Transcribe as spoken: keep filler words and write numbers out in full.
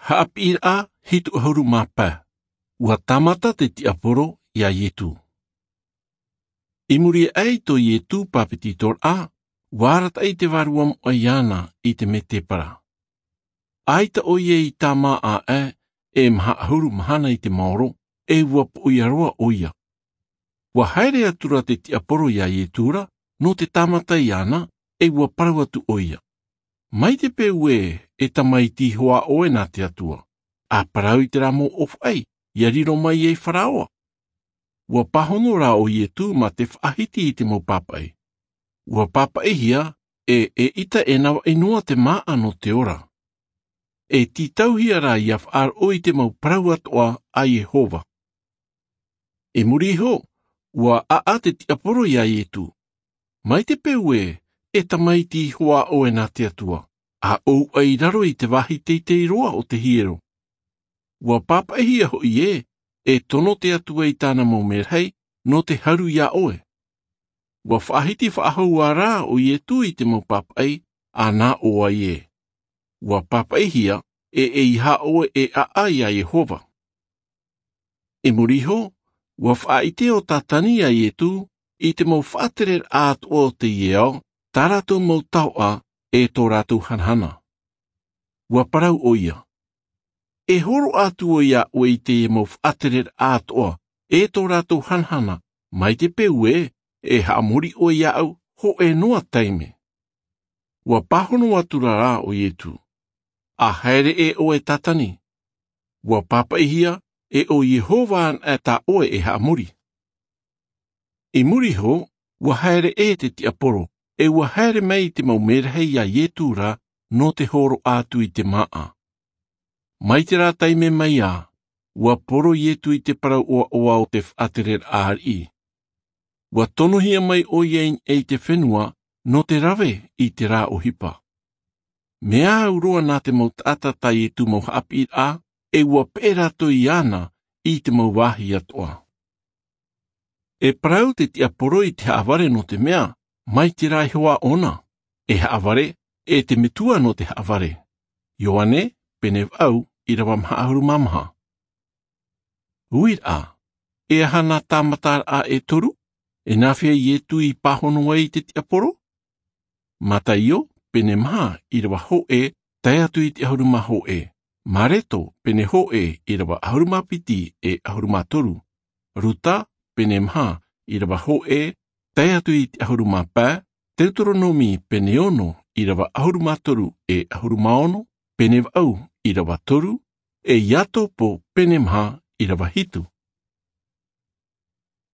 Haʻapiʻiraʻa hitu ʻahuru mā pae. Ua tāmata te tiaporo iā Ietu. I muri aʻe i tō Ietu pāpetitoraʻa, ua arataʻi te Vārua Moʻa iāna i te mētēpara. ʻAita ʻoia i tāmā aʻe e maha ʻahuru mahana i te maoro, e ua poʻia roa ʻoia. Ua haere atura te tiaporo iā Ietu ra nō te tāmata iāna, e ua parau atu ʻoia, mai te peu ē e tamaiti iho ā ʻoe nā te Atua, ʻa parau i terā mau ʻōfaʻi, ʻia riro mai ai Faraoa. Ua pāhono rā ʻo Ietu mā te faʻahiti i te mau pāpaʻi. Ua pāpaʻihia e ʻeʻita e navaʻi noa te māʻa nō te ora. E tītauhia rā ʻia faʻaroʻo i te mau parau atoʻa a Iehova. I muri iho, ua ʻaʻa te tiaporo iā Ietu, mai te peu ē e tamaiti iho ā ʻoe nā te Atua, ʻa ʻōuʻa i raro i te vāhi teitei roa o te hiero. Ua pāpaʻihia hoʻi ē e tono te Atua i tāna mau merahi nō te haru iā ʻoe. Ua faʻahiti faʻahou ā rā ʻo Ietu i te mau pāpaʻi, ʻa nā ʻō ai ē, ua pāpaʻihia e ʻeiaha ʻoe e ʻaʻa iā Iehova. I muri iho, ua faʻaʻite ʻo Tātani iā Ietu i te mau faʻatereraʻa atoʻa o teie ao, tā rātou mau taoʻa, e tō rātou hanahana. Ua parau ʻoia, e hōroʻa atu ʻoe iā ʻoe i teie mau faʻatereraʻa atoʻa, e tō rātou hanahana, mai te peu ē e haʻamori ʻoe iāʻu hōʻē noa taime. Ua pāhono atura rā ʻo Ietu, ʻa haere ʻē ʻoe Tātani. Ua pāpaʻihia e ʻo Iehova anaʻe tā ʻoe e haʻamori. I muri iho, ua haere ʻē te tiaporo, e ua haere mai te mau merahi iā Ietu ra nō te hōroʻa atu i te māʻa. Mai terā taime mai ā, ua poro Ietu i te parau ʻoaʻoa o te faʻatereraʻa ariʻi. Ua tonohia mai ʻoia i niʻa i te fenua nō te rave i terā ʻohipa. Mea au roa nā te mau taʻata tā Ietu mau haʻapiʻiraʻa, e ua peʻe rātou iāna i te mau vāhi atoʻa. E parau te tiaporo i te haʻavare nō te mea, mai terā iho ā ʻōna, e haʻavare, e te metua nō te haʻavare. Ioane, pene vaʻu, ʻīrava maha ʻahuru mā maha. Uiraʻa, e aha nā tāmataraʻa e toru, e nāfea Ietu i pāhono ai i te tiaporo? Mataio, pene maha, ʻīrava hōʻē, tae atu i te ʻahuru mā hōʻē. Mareto, pene hōʻē, ʻīrava ʻahuru mā piti e ʻahuru mā toru. Ruta, pene maha, ʻīrava hōʻē, tae atu i te ʻahuru mā pae. Teuteronome, pene ono, ʻīrava ʻahuru mā toru e ʻahuru mā ono. Pene vaʻu, ʻīrava toru. E Iakobo, pene maha, ʻīrava hitu,